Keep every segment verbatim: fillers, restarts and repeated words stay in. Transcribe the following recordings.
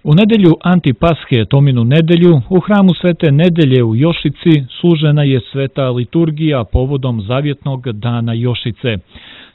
U nedelju Antipashe, Tominu nedelju, u hramu Svete Nedelje u Jošici služena je sveta liturgija povodom zavjetnog dana Jošice.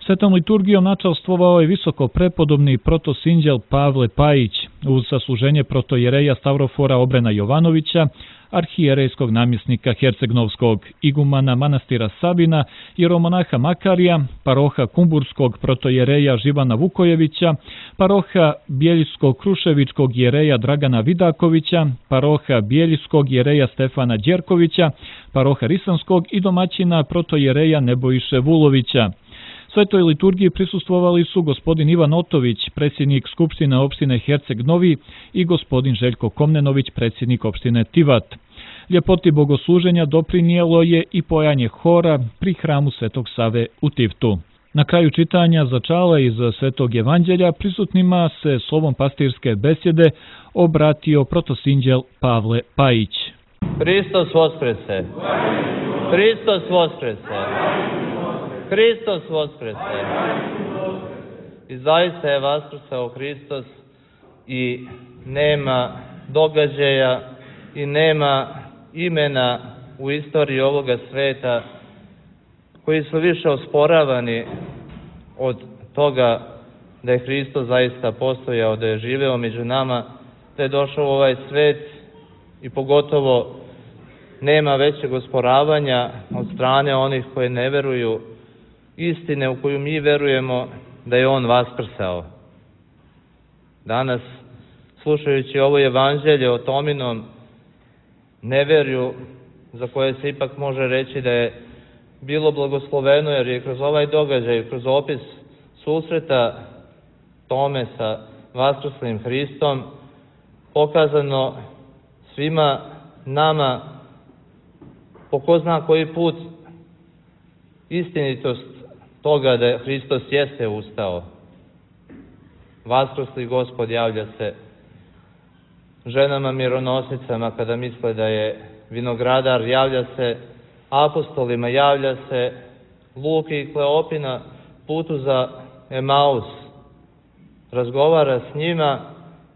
Svetom liturgijom načalstvovao je visoko prepodobni protosinđel Pavle Pajić, uz sasluženje protojereja Stavrofora Obrena Jovanovića, arhijerejskog namjesnika Hercegnovskog, igumana manastira Sabina, jeromonaha Makarija, paroha Kumburskog protojereja Živana Vukojevića, paroha Bijeljsko-Kruševičkog jereja Dragana Vidakovića, paroha Bijeljskog jereja Stefana Đerkovića, paroha Risanskog i domaćina protojereja Nebojiše Vulovića. Svetoj liturgiji prisustvovali su gospodin Ivan Otović, predsjednik Skupštine opštine Herceg Novi, i gospodin Željko Komnenović, predsjednik opštine Tivat. Ljepoti bogosluženja doprinijelo je i pojanje hora pri hramu Svetog Save u Tivtu. Na kraju čitanja začala iz Svetog evanđelja prisutnima se slovom pastirske besjede obratio protosinđel Pavle Pajić. Hristos Voskrese! Hristos Voskrese! Hristos Voskrese! I zaista je vaskrsao Hristos i nema događaja i nema imena u istoriji ovoga sveta koji su više osporavani od toga da je Hristos zaista postojao, da je živeo među nama, da je došao u ovaj svet i pogotovo nema većeg osporavanja od strane onih koji ne veruju istine u koju mi verujemo da je On vaskrsao. Danas, slušajući ovo evanđelje o Tominom neverju, za koje se ipak može reći da je bilo blagosloveno, jer je kroz ovaj događaj, kroz opis susreta Tome sa vaskrslim Hristom, pokazano svima nama po ko zna koji put istinitost toga da Hristos jeste ustao. Vaskrsli Gospod javlja se ženama mironosnicama kada misle da je vinogradar, javlja se apostolima, javlja se Luki i Kleopi na putu za Emaus. Razgovara s njima,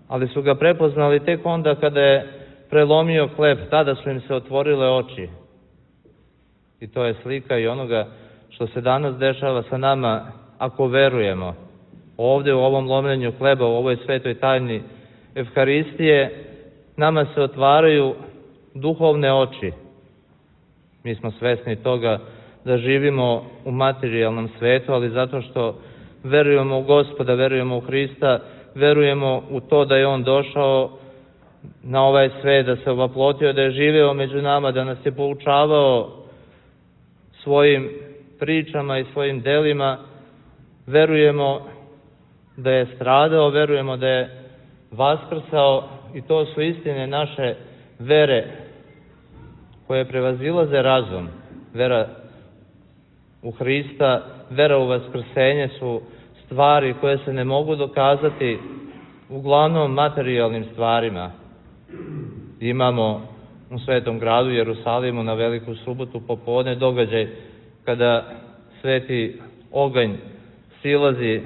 ali su ga prepoznali tek onda kada je prelomio hleb, tada su im se otvorile oči. I to je slika i onoga što se danas dešava sa nama ako verujemo. Ovdje u ovom lomljenju hleba, u ovoj svetoj tajni Evharistije, nama se otvaraju duhovne oči. Mi smo svesni toga da živimo u materijalnom svetu, ali zato što verujemo u Gospoda, verujemo u Hrista, verujemo u to da je On došao na ovaj svet, da se ovaplotio, da je živeo među nama, da nas je poučavao svojim pričama i svojim delima, verujemo da je stradao, verujemo da je vaskrsao, i to su istine naše vere koje prevazilaze razum. Vera u Hrista, vera u vaskrsenje su stvari koje se ne mogu dokazati uglavnom materijalnim stvarima. Imamo u Svetom gradu Jerusalimu na Veliku subotu popodne događaj kada sveti oganj silazi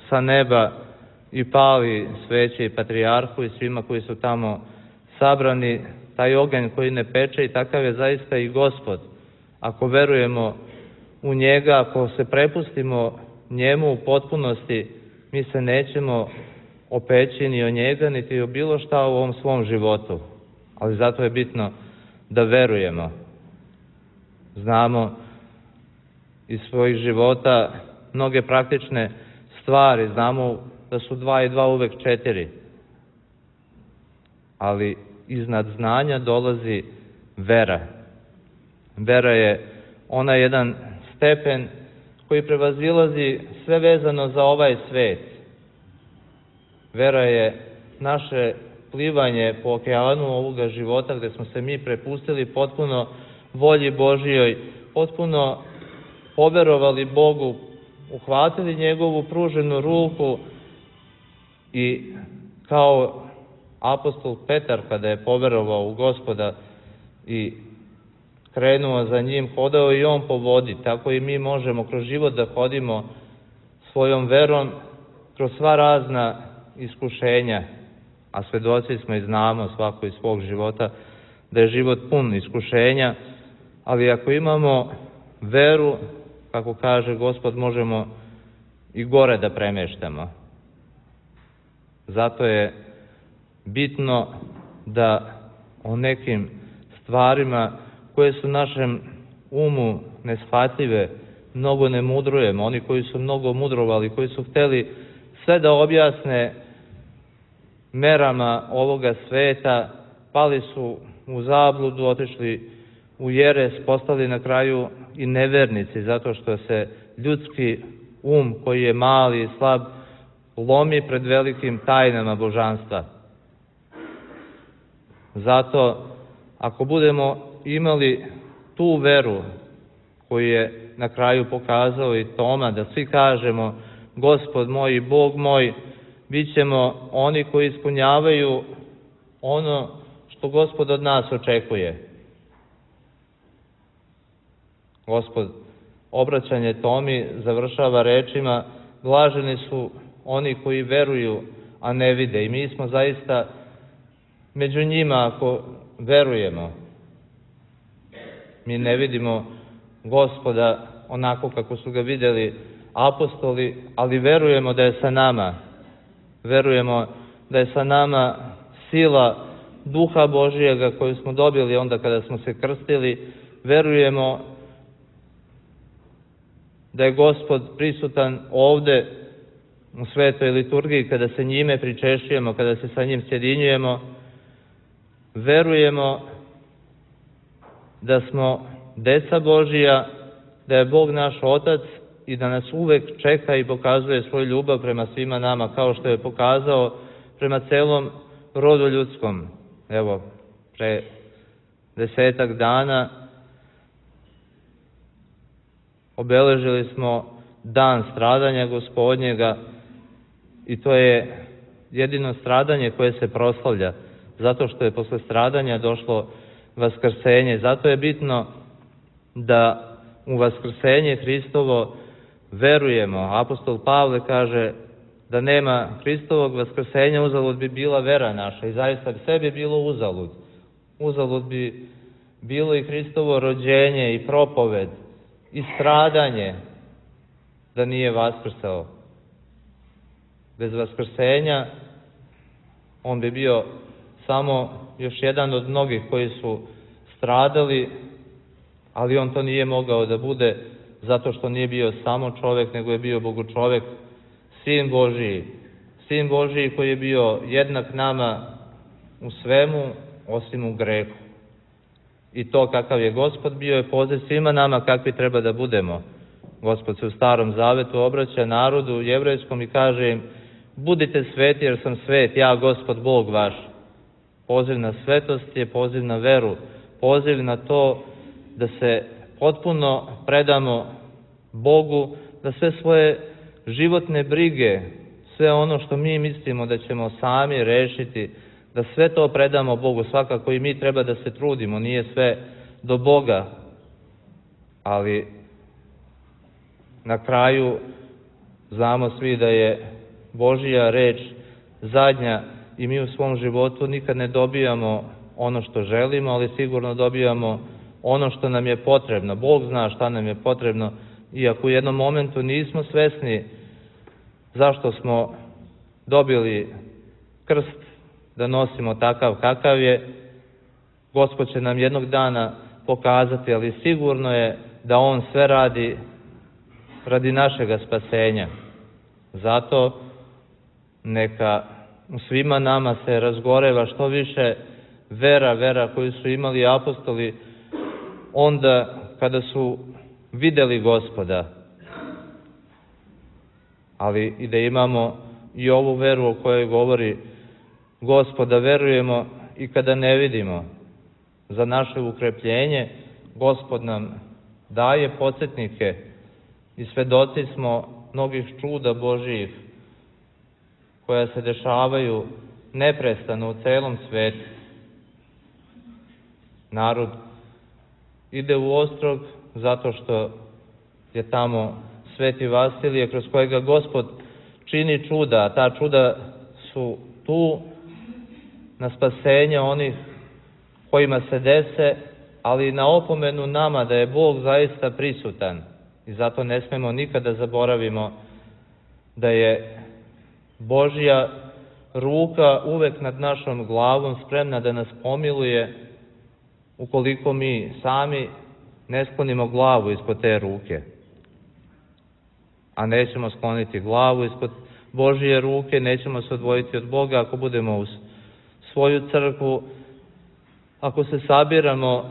sa neba i pali sveće i patrijarhu i svima koji su tamo sabrani. Taj oganj koji ne peče, i takav je zaista i Gospod. Ako verujemo u njega, ako se prepustimo njemu u potpunosti, mi se nećemo opeći ni o njega, niti o bilo šta u ovom svom životu. Ali zato je bitno da verujemo. Znamo iz svojih života mnoge praktične stvari, znamo da su dva i dva uvek četiri. Ali iznad znanja dolazi vera. Vera je ona jedan stepen koji prevazilazi sve vezano za ovaj svet. Vera je naše plivanje po okeanu ovoga života, gde smo se mi prepustili potpuno volji Božijoj, potpuno poverovali Bogu, uhvatili njegovu pruženu ruku i kao apostol Petar kada je poverovao u Gospoda i krenuo za njim, hodao i on po vodi. Tako i mi možemo kroz život da hodimo svojom verom kroz sva razna iskušenja. a svedoci smo i znamo svako iz svog života da je život pun iskušenja, ali ako imamo veru, kako kaže Gospod, možemo i gore da premeštamo. Zato je bitno da o nekim stvarima koje su našem umu neshvatljive mnogo ne mudrujemo. Oni koji su mnogo mudrovali, koji su hteli sve da objasne merama ovoga sveta, pali su u zabludu, otišli u jeres, postali na kraju i nevernici, zato što se ljudski um, koji je mali i slab, lomi pred velikim tajnama božanstva. Zato, ako budemo imali tu veru koju je na kraju pokazao i Toma, da svi kažemo Gospod moj i Bog moj, bit ćemo oni koji ispunjavaju ono što Gospod od nas očekuje. Gospod obraćanje Tomi završava rečima: blaženi su oni koji veruju, a ne vide. I mi smo zaista među njima ako verujemo. Mi ne vidimo Gospoda onako kako su ga vidjeli apostoli, ali verujemo da je sa nama. Verujemo da je sa nama sila Duha Božijega koju smo dobili onda kada smo se krstili. Verujemo da je Gospod prisutan ovde u svetoj liturgiji kada se njime pričešćujemo, kada se sa njim sjedinjujemo. Verujemo da smo deca Božija, da je Bog naš Otac i da nas uvek čeka i pokazuje svoju ljubav prema svima nama, kao što je pokazao prema celom rodu ljudskom. Evo, pre desetak dana obeležili smo dan stradanja Gospodnjega i to je jedino stradanje koje se proslavlja, zato što je posle stradanja došlo vaskrsenje. Zato je bitno da u vaskrsenje Hristovo verujemo. Apostol Pavle kaže da nema Hristovog vaskrsenja, uzalud bi bila vera naša. I zaista sve bi bilo uzalud. Uzalud bi bilo i Hristovo rođenje i propoved i stradanje da nije vaskrsao. Bez vaskrsenja on bi bio samo još jedan od mnogih koji su stradali, ali on to nije mogao da bude zato što nije bio samo čovek, nego je bio Bogočovek, Sin Božiji. Sin Božiji koji je bio jednak nama u svemu, osim u grehu. I to kakav je Gospod bio je poziv svima nama kakvi treba da budemo. Gospod se u Starom Zavetu obraća narodu jevrejskom i kaže im: budite sveti jer sam svet, ja Gospod Bog vaš. Poziv na svetost je poziv na veru, poziv na to da se potpuno predamo Bogu, da sve svoje životne brige, sve ono što mi mislimo da ćemo sami rešiti, da sve to predamo Bogu. Svakako i mi treba da se trudimo, nije sve do Boga, ali na kraju znamo svi da je Božija reč zadnja i mi u svom životu nikad ne dobijamo ono što želimo, ali sigurno dobijamo ono što nam je potrebno. Bog zna šta nam je potrebno i ako u jednom momentu nismo svesni zašto smo dobili krst da nosimo takav kakav je, Gospod će nam jednog dana pokazati, ali sigurno je da On sve radi radi našega spasenja. Zato neka u svima nama se razgoreva što više vera, vera koju su imali apostoli onda kada su videli Gospoda, ali i da imamo i ovu veru o kojoj govori Gospoda, verujemo i kada ne vidimo. Za naše ukrepljenje Gospod nam daje podsjetnike i svedoci smo mnogih čuda Božijih koja se dešavaju neprestano u celom svetu. Narod ide u Ostrog zato što je tamo Sveti Vasilije kroz kojega Gospod čini čuda, a ta čuda su tu na spasenje onih kojima se dese, ali i na opomenu nama da je Bog zaista prisutan. I zato ne smemo nikada zaboravimo da je Božja ruka uvek nad našom glavom spremna da nas pomiluje ukoliko mi sami ne sklonimo glavu ispod te ruke. A nećemo skloniti glavu ispod Božje ruke, nećemo se odvojiti od Boga ako budemo uz svoju crkvu, ako se sabiramo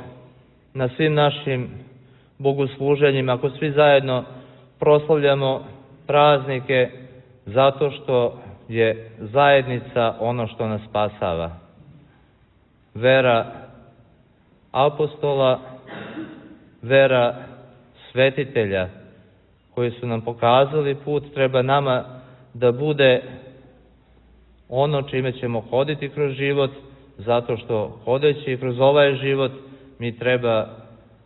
na svim našim bogosluženjima, ako svi zajedno proslavljamo praznike zato što je zajednica ono što nas spasava. Vera apostola, vera svetitelja koji su nam pokazali put, treba nama da bude ono čime ćemo hoditi kroz život, zato što hodeći kroz ovaj život mi treba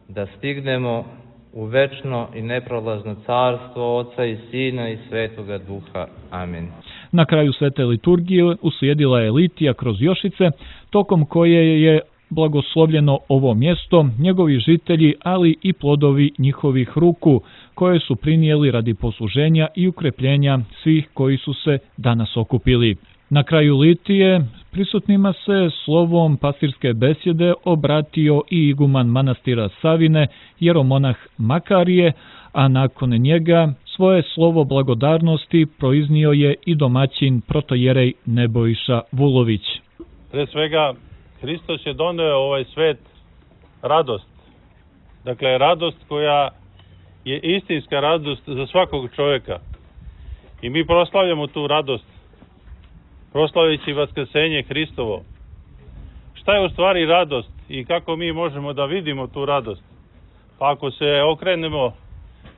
da stignemo u večno i neprolazno carstvo Oca i Sina i Svetoga Duha. Amin. Na kraju svete liturgije uslijedila je litija kroz Jošice, tokom koje je blagoslovljeno ovo mjesto, njegovi žitelji, ali i plodovi njihovih ruku, koje su prinijeli radi posluženja i ukrepljenja svih koji su se danas okupili. Na kraju litije prisutnima se slovom pastirske besjede obratio i iguman manastira Savine, jeromonah Makarije, a nakon njega svoje slovo blagodarnosti proiznio je i domaćin protojerej Nebojša Vulović. Pre svega, Hristos je doneo ovaj svet radost. Dakle, radost koja je istinska radost za svakog čovjeka. I mi proslavljamo tu radost, proslavljajući vaskrsenje Hristovo. Šta je u stvari radost i kako mi možemo da vidimo tu radost? Pa ako se okrenemo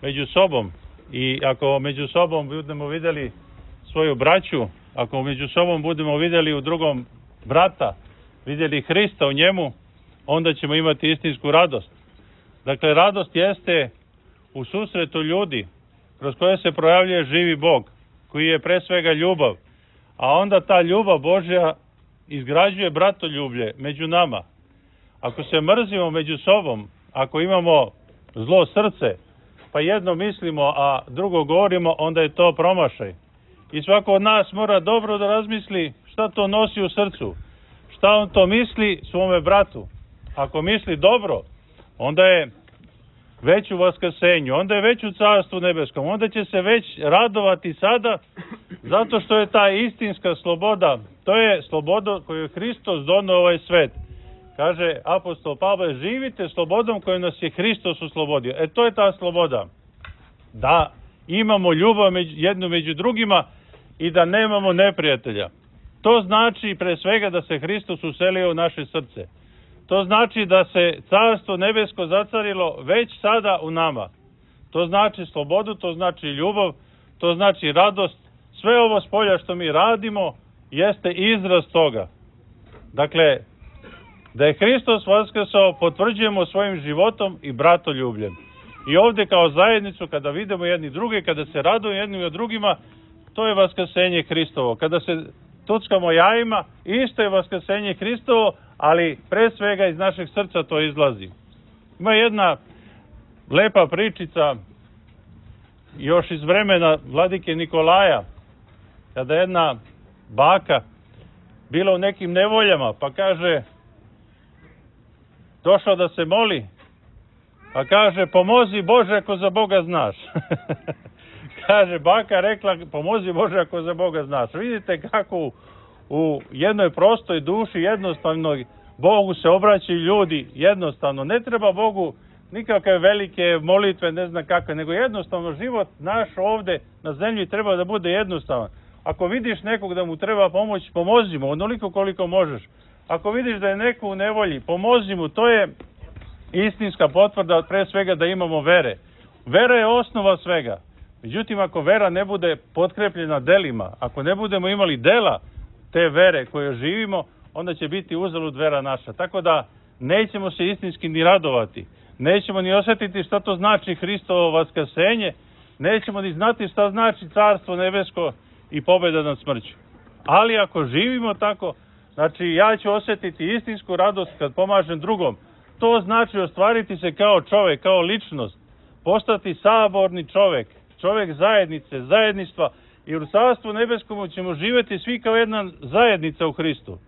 među sobom i ako među sobom budemo vidjeli svoju braću, ako među sobom budemo vidjeli u drugom brata, vidjeli Hrista u njemu, onda ćemo imati istinsku radost. Dakle, radost jeste u susretu ljudi kroz koje se projavljuje živi Bog, koji je pre svega ljubav, a onda ta ljubav Božja izgrađuje bratoljublje među nama. Ako se mrzimo među sobom, ako imamo zlo srce, pa jedno mislimo, a drugo govorimo, onda je to promašaj. I svako od nas mora dobro da razmisli šta to nosi u srcu, šta on to misli svome bratu. Ako misli dobro, onda je već u vaskrsenju, onda je već u Carstvu nebeskom, onda će se već radovati sada, zato što je ta istinska sloboda, to je sloboda koju je Hristos doneo ovaj svet. Kaže apostol Pavle, živite slobodom koju nas je Hristos oslobodio. E to je ta sloboda. Da imamo ljubav među, jednu među drugima i da nemamo neprijatelja. To znači pre svega da se Hristos uselio u naše srce. To znači da se Carstvo nebesko zacarilo već sada u nama. To znači slobodu, to znači ljubav, to znači radost. Sve ovo spolja što mi radimo jeste izraz toga. Dakle, da je Hristos vaskrsao potvrđujemo svojim životom i bratoljubljem. I ovdje kao zajednicu, kada vidimo jedni druge, kada se radujemo jednim i drugima, to je vaskrsenje Hristovo. Kada se tuckamo jajima, isto je vaskrsenje Hristovo, ali pre svega iz našeg srca to izlazi. Ima jedna lepa pričica još iz vremena vladike Nikolaja, kada jedna baka bila u nekim nevoljama, pa kaže, došao da se moli, pa kaže, pomozi Bože ako za Boga znaš. Kaže, baka rekla, pomozi Bože ako za Boga znaš. Vidite kako u, u jednoj prostoj duši jednostavno Bogu se obraćaju ljudi jednostavno. Ne treba Bogu nikakve velike molitve, ne znam kakve, nego jednostavno život naš ovdje na zemlji treba da bude jednostavan. Ako vidiš nekog da mu treba pomoć, pomozi mu onoliko koliko možeš. Ako vidiš da je neko u nevolji, pomozi mu. To je istinska potvrda pre svega da imamo vere. Vera je osnova svega. Međutim, ako vera ne bude potkrepljena delima, ako ne budemo imali dela te vere koje živimo, onda će biti uzalud vera naša. Tako da nećemo se istinski ni radovati. Nećemo ni osjetiti šta to znači Hristovo vaskrsenje. Nećemo ni znati šta znači Carstvo nebesko i pobjeda nad smrću. Ali ako živimo tako, Znači, ja ću osjetiti istinsku radost kad pomažem drugom. To znači ostvariti se kao čovjek, kao ličnost. Postati saborni čovjek, čovjek zajednice, zajedništva. I u Carstvu nebeskom ćemo živjeti svi kao jedna zajednica u Hristu.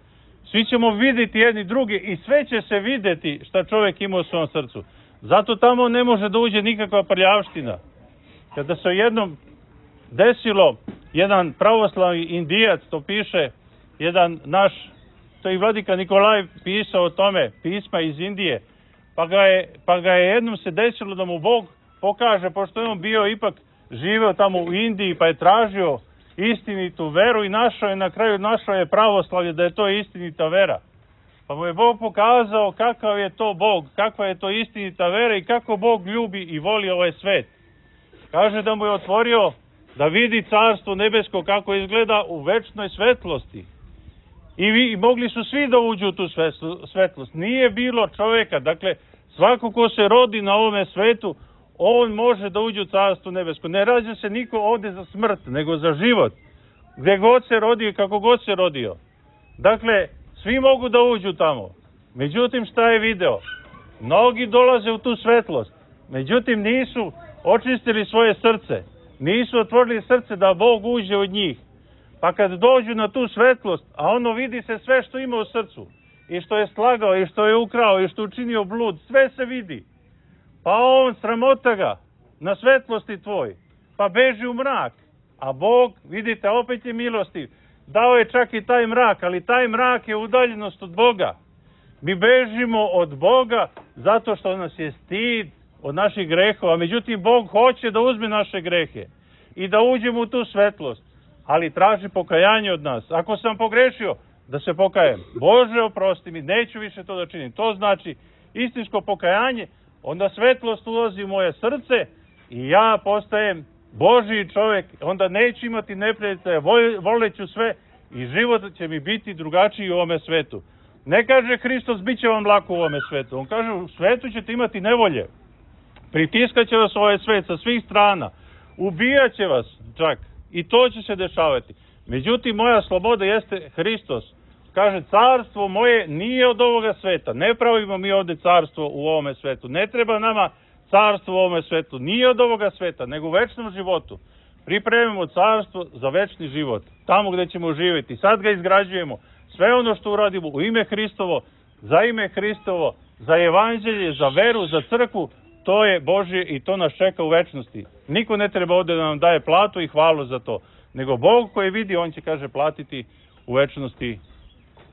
Svi ćemo vidjeti jedni drugi i sve će se vidjeti šta čovjek ima u svom srcu. Zato tamo ne može da uđe nikakva prljavština. Kada se jednom desilo, jedan pravoslavni Indijac, to piše jedan naš, to i vladika Nikolaj pisao o tome, pisma iz Indije, pa ga je, pa ga je jednom se desilo da mu Bog pokaže, pošto je on bio ipak živeo tamo u Indiji, pa je tražio istinitu veru i našao je, na kraju našao je pravoslavlje, da je to istinita vera. Pa mu je Bog pokazao kakav je to Bog, kakva je to istinita vera i kako Bog ljubi i voli ovaj svet. Kaže da mu je otvorio da vidi Carstvo nebesko kako izgleda u večnoj svetlosti. I, vi, i mogli su svi da uđu u tu svetlost. Nije bilo čovjeka, dakle svako ko se rodi na ovome svetu, on može da uđe u Carstvo nebesko. Ne rađa se niko ovdje za smrt, nego za život. Gdje god se rodio i kako god se rodio. Dakle, svi mogu da uđu tamo. Međutim, šta je video? Mnogi dolaze u tu svetlost. Međutim, nisu očistili svoje srce. Nisu otvorili srce da Bog uđe od njih. Pa kad dođu na tu svetlost, a ono vidi se sve što ima u srcu. I što je slagao, i što je ukrao, i što je učinio blud. Sve se vidi. Pa on sramota ga na svetlosti tvoj. Pa beži u mrak. A Bog, vidite, opet je milostiv. Dao je čak i taj mrak, ali taj mrak je udaljenost od Boga. Mi bežimo od Boga zato što nas je stid od naših grehova. Međutim, Bog hoće da uzme naše grehe i da uđemo u tu svetlost. Ali traži pokajanje od nas. Ako sam pogrešio, da se pokajem. Bože, oprosti mi, neću više to da činim. To znači istinsko pokajanje. Onda svetlost ulazi u moje srce i ja postajem Božji čovjek. Onda neću imati neprijatelja, voleću sve i život će mi biti drugačiji u ovome svetu. Ne kaže Hristos, bit će vam lako u ovome svetu. On kaže, u svetu ćete imati nevolje. Pritiskat će vas ovaj svet sa svih strana. Ubijat će vas čak. I to će se dešavati. Međutim, moja sloboda jeste Hristos. Kaže, carstvo moje nije od ovoga sveta. Ne pravimo mi ovdje carstvo u ovome svetu. Ne treba nama carstvo u ovome svetu. Nije od ovoga sveta, nego u večnom životu. Pripremimo carstvo za večni život. Tamo gdje ćemo živjeti. Sad ga izgrađujemo. Sve ono što uradimo u ime Hristovo, za ime Hristovo, za evanđelje, za veru, za crkvu, to je Božje i to nas čeka u večnosti. Niko ne treba ovdje da nam daje platu i hvalu za to. Nego Bog koji vidi, on će, kaže, platiti u večnosti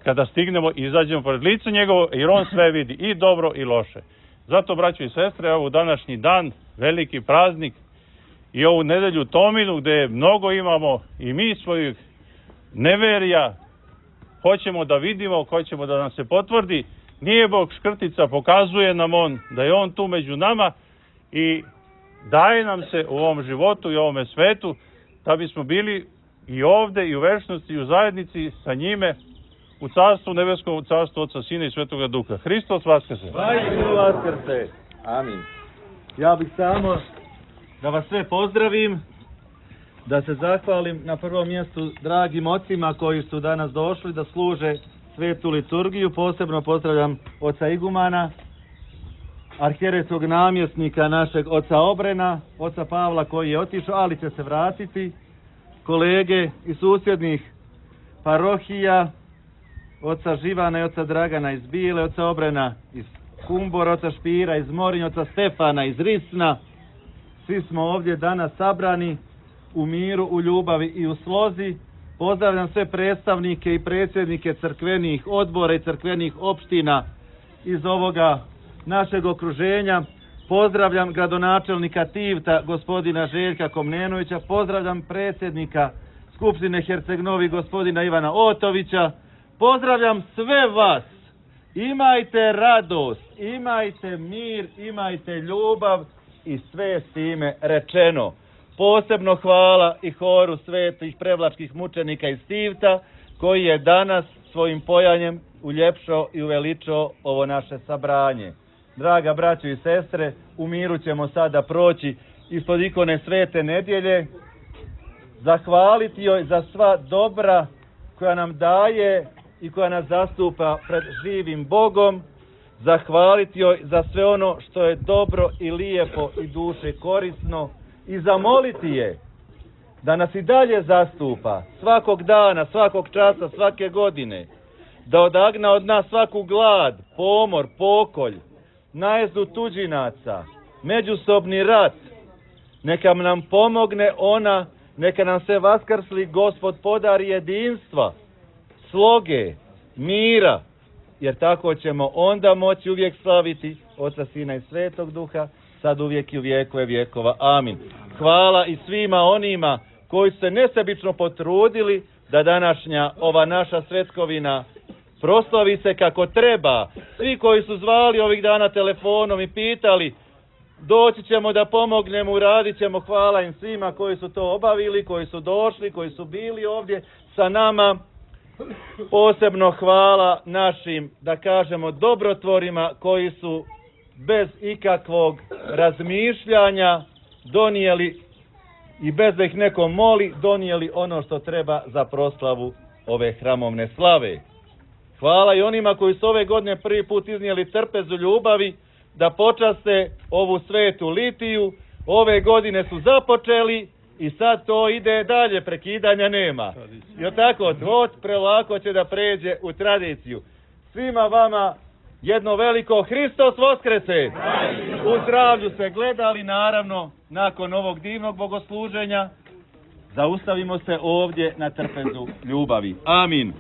kada stignemo i izađemo pored lica njegovo, jer on sve vidi, i dobro i loše. Zato, braćo i sestre, ovo današnji dan, veliki praznik, i ovu nedelju Tominu, gdje mnogo imamo i mi svojih neverija, hoćemo da vidimo, hoćemo da nam se potvrdi. Nije Bog škrtica, pokazuje nam on da je on tu među nama i daje nam se u ovom životu i u ovome svetu da bismo bili i ovdje i u večnosti i u zajednici sa njime u carstvu nebeskom, u carstvu Otca, Sina i Svetoga Duha. Hristos vaskrse. Hristos vaskrse. Amin. Ja bih samo da vas sve pozdravim, da se zahvalim na prvom mjestu dragim ocima koji su danas došli da služe svetu liturgiju. Posebno pozdravljam oca igumana, arhijerejskog namjesnika našeg oca Obrena, oca Pavla koji je otišao, ali će se vratiti, kolege iz susjednih parohija, oca Živana i oca Dragana iz Bile, oca Obrena iz Kumbora, oca Špira iz Morinja, oca Stefana iz Risna. Svi smo ovdje danas sabrani u miru, u ljubavi i u slozi. Pozdravljam sve predstavnike i predsjednike crkvenih odbora i crkvenih opština iz ovoga našeg okruženja. Pozdravljam gradonačelnika Tivta, gospodina Željka Komnenovića. Pozdravljam predsjednika Skupštine Herceg-Novi, gospodina Ivana Otovića. Pozdravljam sve vas. Imajte radost, imajte mir, imajte ljubav i sve s time rečeno. Posebno hvala i horu svetih prevlačkih mučenika iz Tivta, koji je danas svojim pojanjem uljepšao i uveličao ovo naše sabranje. Draga braćo i sestre, u miru ćemo sada proći ispod ikone Svete nedjelje, zahvaliti joj za sva dobra koja nam daje i koja nas zastupa pred živim Bogom, zahvaliti joj za sve ono što je dobro i lijepo i duše korisno i zamoliti je da nas i dalje zastupa svakog dana, svakog časa, svake godine, da odagna od nas svaku glad, pomor, pokolj, najezdu tuđinaca, međusobni rat. Neka nam pomogne ona, neka nam se vaskrsli Gospod podari jedinstva, sloge, mira, jer tako ćemo onda moći uvijek slaviti Oca, Sina i Svetog Duha, sad uvijek i u vjekove vjekova. Amin. Hvala i svima onima koji su se nesebično potrudili da današnja ova naša svetkovina proslavi se kako treba. Svi koji su zvali ovih dana telefonom i pitali, doći ćemo da pomognemo, uradit ćemo, hvala im svima koji su to obavili, koji su došli, koji su bili ovdje sa nama. Posebno hvala našim, da kažemo, dobrotvorima koji su bez ikakvog razmišljanja donijeli i bez da ih neko moli, donijeli ono što treba za proslavu ove hramovne slave. Hvala i onima koji su ove godine prvi put iznijeli trpezu ljubavi da počaste ovu svetu litiju. Ove godine su započeli i sad to ide dalje, prekidanja nema. I tako, to prelako će da pređe u tradiciju. Svima vama jedno veliko Hristos Voskrese! U zdravlju se gledali, naravno, nakon ovog divnog bogosluženja. Zaustavimo se ovdje na trpezu ljubavi. Amin.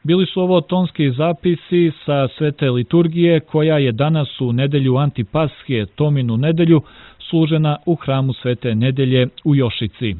Bili su ovo tonski zapisi sa svete liturgije koja je danas u nedelju Antipashe, Tominu nedelju, služena u hramu Svete Nedelje u Jošici.